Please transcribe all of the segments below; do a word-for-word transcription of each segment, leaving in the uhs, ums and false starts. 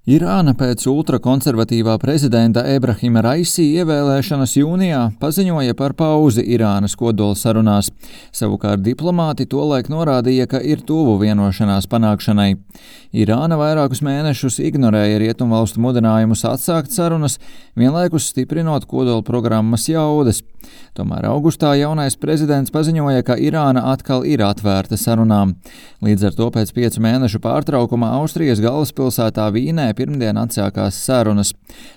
Irāna pēc ultrakonservatīvā prezidenta Ebrahima Raisi ievēlēšanas jūnijā paziņoja par pauzi Irānas kodolsarunās. Savukārt diplomāti tolaik norādīja, ka ir tuvu vienošanās panākšanai. Irāna vairākus mēnešus ignorēja rietumvalstu mudinājumus atsākt sarunas, vienlaikus stiprinot kodolprogrammas jaudas. Tomēr augustā jaunais prezidents paziņoja, ka Irāna atkal ir atvērta sarunām. Līdz ar to pēc piecu mēnešu pārtraukuma Austrijas galvaspilsētā Vīnē pirmdien atsākās sarunas.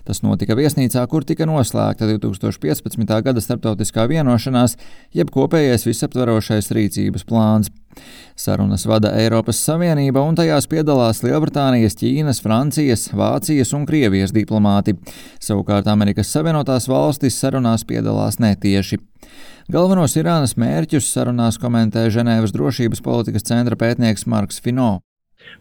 Tas notika viesnīcā, kur tika noslēgta divi tūkstoši piecpadsmitā gada starptautiskā vienošanās, jeb kopējais visaptverošais rīcības plāns. Sarunas vada Eiropas Savienība un tajās piedalās Lielbritānijas, Ķīnas, Francijas, Vācijas un Krievijas diplomāti. Savukārt Amerikas Savienotās valstis sarunās piedalās netieši. Galvenos Irānas mērķus sarunās komentē Ženēvas drošības politikas centra pētnieks Marks Fino.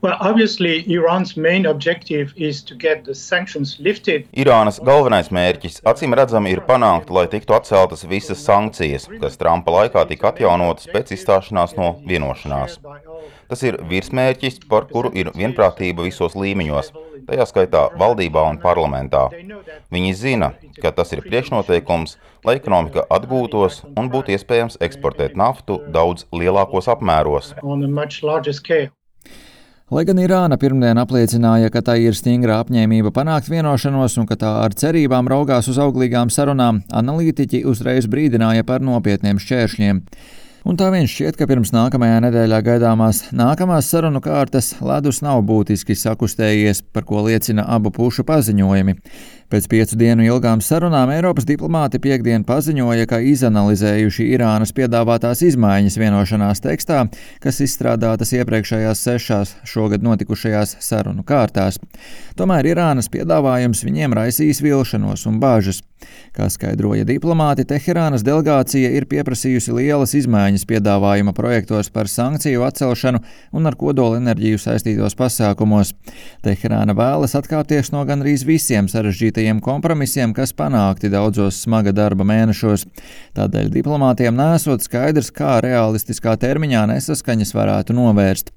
Well, obviously, Iran's main objective is to get the sanctions lifted. Irānas galvenais mērķis acīm redzami ir panākt, lai tiktu atceltas visas sankcijas, kas Trumpa laikā tika atjaunotas pēc izstāšanās no vienošanās. Tas ir virsmērķis, par kuru ir vienprātība visos līmeņos, tajā skaitā valdībā un parlamentā. Viņi zina, ka tas ir priekšnoteikums, lai ekonomika atgūtos un būtu iespējams eksportēt naftu daudz lielākos apmēros. Lai gan Irāna pirmdien apliecināja, ka tai ir stingra apņēmība panākt vienošanos un ka tā ar cerībām raugās uz auglīgām sarunām, analītiķi uzreiz brīdināja par nopietniem šķēršļiem. Un tā vien šķiet, ka pirms nākamajā nedēļā gaidāmās nākamās sarunu kārtas ledus nav būtiski sakustējies, par ko liecina abu pušu paziņojumi. Pēc piecu dienu ilgām sarunām Eiropas diplomāti piektdien paziņoja, ka izanalizējuši Irānas piedāvātās izmaiņas vienošanās tekstā, kas izstrādātas iepriekšējās sešās šogad notikušajās sarunu kārtās. Tomēr Irānas piedāvājums viņiem raisīs vilšanos un bāžas. Kā skaidroja diplomāti, Teherānas delegācija ir pieprasījusi lielas izmaiņas piedāvājuma projektos par sankciju atcelšanu un ar kodolenerģiju saistītos pasākumos. Teherāna vēlas atkāpties no gandrīz visiem sarežģītajiem kompromisiem, kas panākti daudzos smaga darba mēnešos. Tādēļ diplomātiem nesot skaidrs, kā realistiskā termiņā nesaskaņas varētu novērst.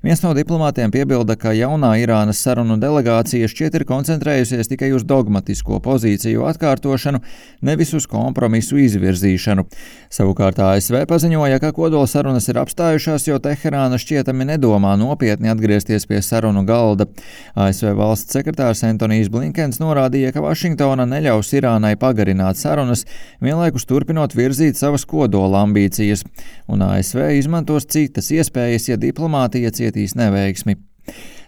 Viens no diplomātiem piebilda, ka jaunā Irānas sarunu delegācija šķiet ir koncentrējusies tikai uz dogmatisko pozīciju atkārtošanu, nevis uz kompromisu izvirzīšanu. Savukārt A S V paziņoja, ka kodolsarunas ir apstājušās, jo Teherāna šķietami nedomā nopietni atgriezties pie sarunu galda. A S V valsts sekretārs Antonijs Blinkens norādīja, ka Vašingtona neļaus Irānai pagarināt sarunas, vienlaikus turpinot virzīt savas kodola ambīcijas, un A S V izmantos citas iespējas, ja diplomātija cietīs neveiksmi.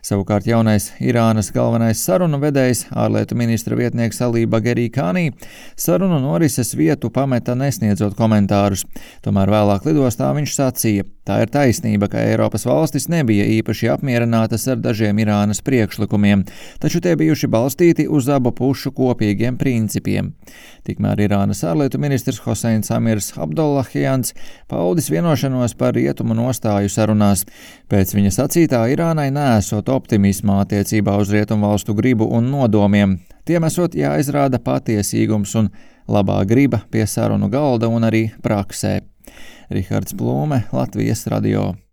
Savukārt jaunais Irānas galvenais sarunu vedējs, ārlietu ministra vietnieks Alī Bagerī Kānī, sarunu norises vietu pameta nesniedzot komentārus. Tomēr vēlāk lidostā viņš sacīja, tā ir taisnība, ka Eiropas valstis nebija īpaši apmierinātas ar dažiem Irānas priekšlikumiem, taču tie bijuši balstīti uz abu pušu kopīgiem principiem. Tikmēr Irānas ārlietu ministrs Hoseins Amirs Abdollahjans paudis vienošanos par rietumu nostāju sarunās. Pēc viņa sacītā Irānai nesot optimismā attiecībā uz rietumvalstu gribu un nodomiem. Tiem esot jāizrāda patiesīgums un labā griba pie sarunu galda un arī praksē. Rihards Plūme, Latvijas radio.